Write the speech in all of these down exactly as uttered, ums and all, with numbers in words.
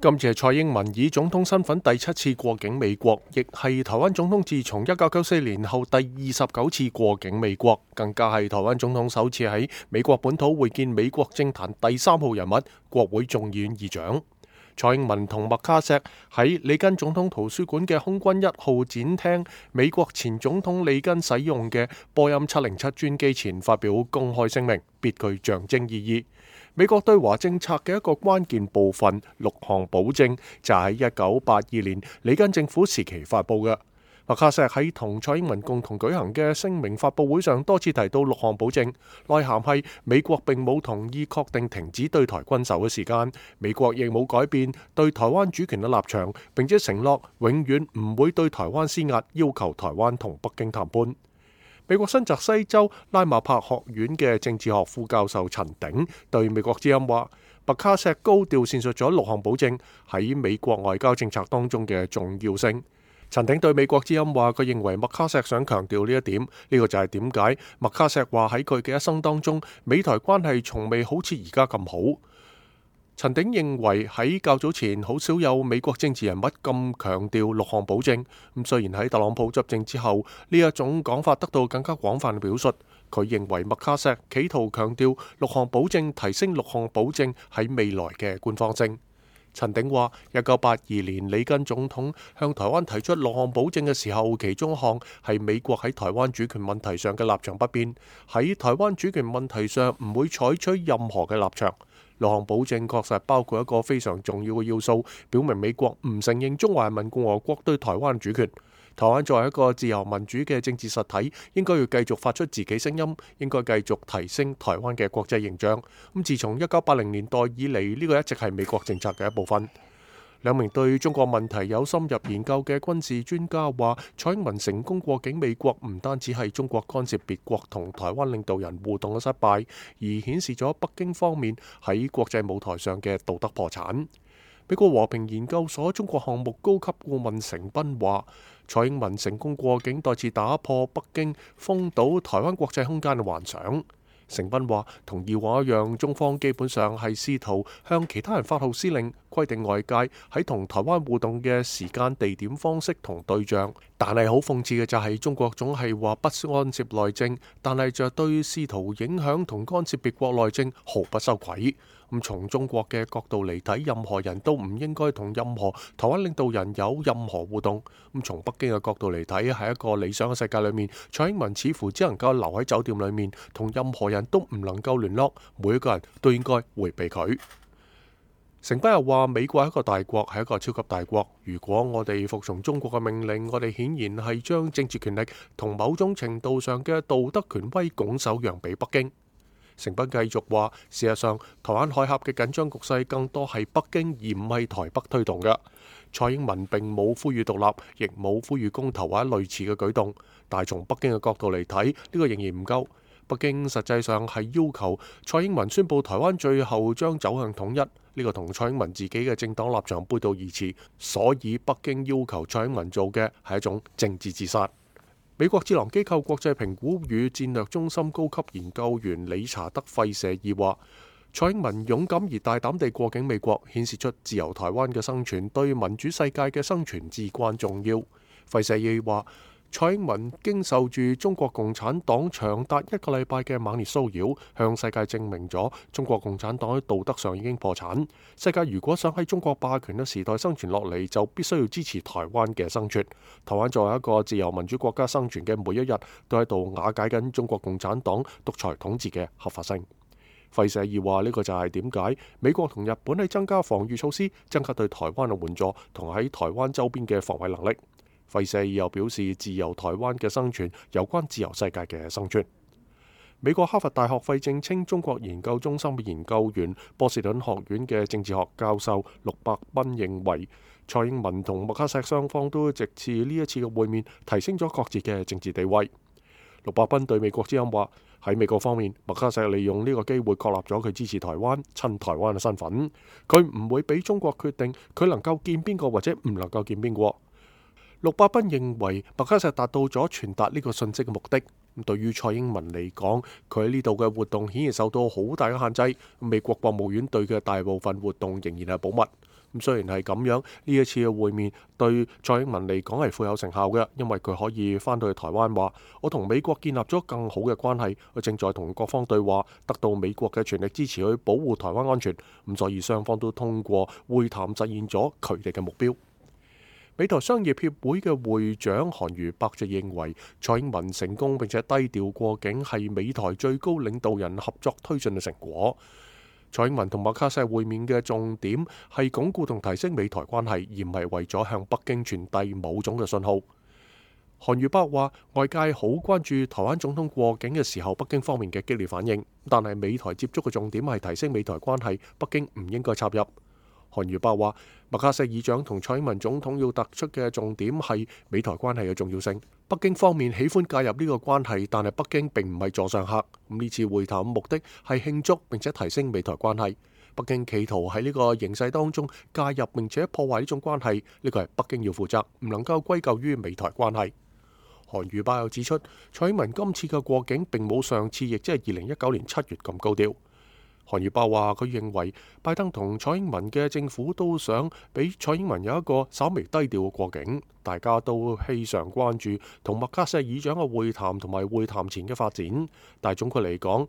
今次係蔡英文以總統身份第七次過境美國，亦係台灣總統自從一九九四年後第二十九次過境美國，更加係台灣總統首次喺美國本土會見美國政壇第三號人物、國會眾議院議長。蔡英文同麥卡錫喺里根總統圖書館嘅空軍一號展廳美國前總統里根使用嘅波音七零七專機前發表公開聲明，別具象徵意義。美國對華政策嘅一個關鍵部分六項保證就喺一九八二年里根政府時期發布嘅。麥卡錫喺同蔡英文共同舉行嘅聲明發佈會上多次提到六項保證，內涵係美國並冇同意確定停止對台軍售嘅時間，美國亦冇改變對台灣主權嘅立場，並且承諾永遠唔會對台灣施壓，要求台灣同北京談判。美國新澤西州拉馬柏學院嘅政治學副教授陳鼎對美國之音話，麥卡錫高調闡述咗六項保證喺美國外交政策當中嘅重要性。陳鼎對美國之音話，佢認為麥卡錫想強調呢一點，呢、這個就係點解麥卡錫話喺佢嘅一生當中，美台關係從未好似而家咁好。陳鼎認為喺較早前好少有美國政治人物咁強調六項保證，咁雖然喺特朗普執政之後呢一種講法得到更加廣泛嘅表述，佢認為麥卡錫企圖強調六項保證，提升六項保證喺未來嘅官方性。陳鼎話：一九八二年里根總統向台灣提出六項保證嘅時候，其中一項係美國喺台灣主權問題上嘅立場不變，喺台灣主權問題上唔會採取任何嘅立場。六項保證確實包括一個非常重要嘅要素，表明美國唔承認中華人民共和國對台灣主權。台灣作為一個自由民主嘅政治實體，應該要繼續發出自己聲音，應該繼續提升台灣嘅國際形象。咁自從一九八零年代以嚟，呢個一直係美國政策嘅一部分。兩名對中國問題有深入研究嘅軍事專家話，蔡英文成功過境美國唔單止係中國干涉別國同台灣領導人互動嘅失敗，而顯示咗北京方面喺國際舞台上嘅道德破產。美國和平研究所中國項目高級顧問成斌話，蔡英文成功過境再次打破北京封堵台灣國際空間嘅幻想。成斌話，同以往一樣，中方基本上係試圖向其他人發號施令，規定外界喺同台灣互動嘅時間、地點、方式同對象。但係好諷刺嘅就係，中國總係話不干涉內政，但係就對試圖影響同干涉別國內政毫不羞愧。咁從中國嘅角度嚟睇，任何人都唔應該同任何台灣領導人有任何互動。咁從北京嘅角度嚟睇，喺一個理想嘅世界裏面，蔡英文似乎只能夠留喺酒店裏面，同任何人都唔能夠聯絡，每一個人都應該迴避佢。成斌又話，美國係一個大國，係一個超級大國。如果我哋服從中國嘅命令，我哋顯然係將政治權力同某種程度上嘅道德權威拱手讓俾北京。成斌繼續話，事實上，台灣海峽嘅緊張局勢更多係北京而唔係台北推動嘅。蔡英文並冇呼籲獨立，亦冇呼籲公投或者類似嘅舉動。但係從北京嘅角度嚟睇，呢個仍然唔夠。北京實際上係要求蔡英文宣布台灣最後將走向統一，呢個同蔡英文自己嘅政黨立場背道而馳。所以北京要求蔡英文做嘅係一種政治自殺。美國智囊機構國際評估與戰略中心高級研究員理查德費舍爾話，蔡英文勇敢而大膽地過境美國，顯示出自由台灣嘅生存對民主世界嘅生存至關重要。費舍爾話，蔡英文經受住中國共產黨長達一個禮拜嘅猛烈騷擾，向世界證明咗中國共產黨喺道德上已經破產。世界如果想喺中國霸權嘅時代生存落嚟，就必須要支持台灣嘅生存。台灣作為一個自由民主國家生存嘅每一日，都喺度瓦解緊中國共產黨獨裁統治嘅合法性。費舍爾話，呢個就係點解美國同日本喺增加防禦措施、增加對台灣嘅援助同喺台灣周邊嘅防衛能力。費舍爾又表示，自由台灣嘅生存有關自由世界嘅生存。美國哈佛大學費正清中國研究中心嘅研究員、波士頓學院嘅政治學教授陸伯賓認為，蔡英文同麥卡錫雙方都藉住呢一次嘅會面，提升咗各自嘅政治地位。陸伯賓對美國之音話，喺美國方面，麥卡錫利用呢個機會確立咗佢支持台灣、親台灣嘅身份。佢唔會俾中國決定佢能夠見邊個或者唔能夠見邊個。陸伯賓認為麥卡錫達到咗傳達呢個信息嘅目的。咁對於蔡英文嚟講，佢喺呢度嘅活動顯然受到好大嘅限制。美國國務院對佢嘅大部分活動仍然係保密。咁雖然係咁樣，呢一次嘅會面對蔡英文嚟講係富有成效嘅，因為佢可以翻到去台灣話：我同美國建立咗更好嘅關係，我正在同各方對話，得到美國嘅全力支持去保護台灣安全。咁所以雙方都通過會談實現咗佢哋嘅目標。美台商業協會嘅會長韓如伯就認為，蔡英文成功並且低調過境係美台最高領導人合作推進嘅成果。蔡英文同麥卡錫會面嘅重點係鞏固同提升美台關係，而唔係為咗向北京傳遞某種嘅信號。韓如伯話：外界好關注台灣總統過境嘅時候，北京方面嘅激烈反應，但係美台接觸嘅重點係提升美台關係，北京唔應該插入。韓如伯話：麥卡錫議長同蔡英文總統要突出嘅重點係美台關係嘅重要性。北京方面喜歡介入呢個關係，但係北京並唔係座上客。咁呢次會談目的係慶祝並且提升美台關係。北京企圖喺呢個形勢當中介入並且破壞呢種關係，呢個係北京要負責，唔能夠歸咎於美台關係。韓如伯又指出，蔡英文今次嘅過境並冇上次，亦即係二零一九年七月咁高調。韓如伯話：佢認為拜登同蔡英文嘅政府都想俾蔡英文有一個稍微低調嘅過境，大家都非常關注同麥卡錫議長嘅會談同埋會談前嘅發展。但係總括嚟講，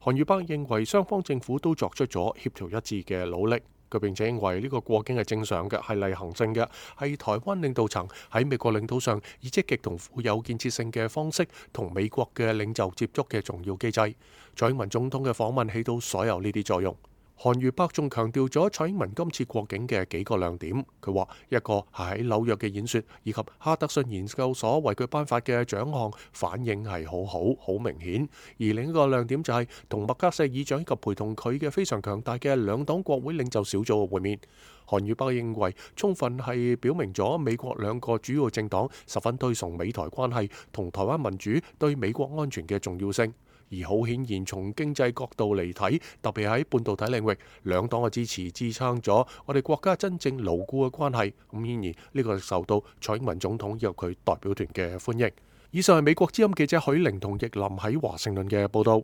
韓如伯認為雙方政府都作出咗協調一致嘅努力。佢並且認為呢個過境係正常嘅，係例行性嘅，係台灣領導層喺美國領土上以積極同富有建設性嘅方式同美國嘅領袖接觸嘅重要機制。蔡英文總統嘅訪問起到所有呢啲作用。韓如伯仲強調咗蔡英文今次過境嘅幾個亮點。佢話一個係喺紐約嘅演說，以及哈德遜研究所為佢頒發嘅獎項反應係好好好明顯。而另一個亮點就係同麥卡錫議長以及陪同佢嘅非常強大嘅兩黨國會領袖小組嘅會面。韓如伯認為充分係表明咗美國兩個主要政黨十分推崇美台關係同台灣民主對美國安全嘅重要性。而好顯然，從經濟角度嚟睇，特別喺半導體領域，兩黨嘅支持支撐咗我哋國家真正牢固嘅關係。咁顯然呢個受到蔡英文總統以及佢代表團嘅歡迎。以上係美國之音記者許玲同奕林喺華盛頓嘅報道。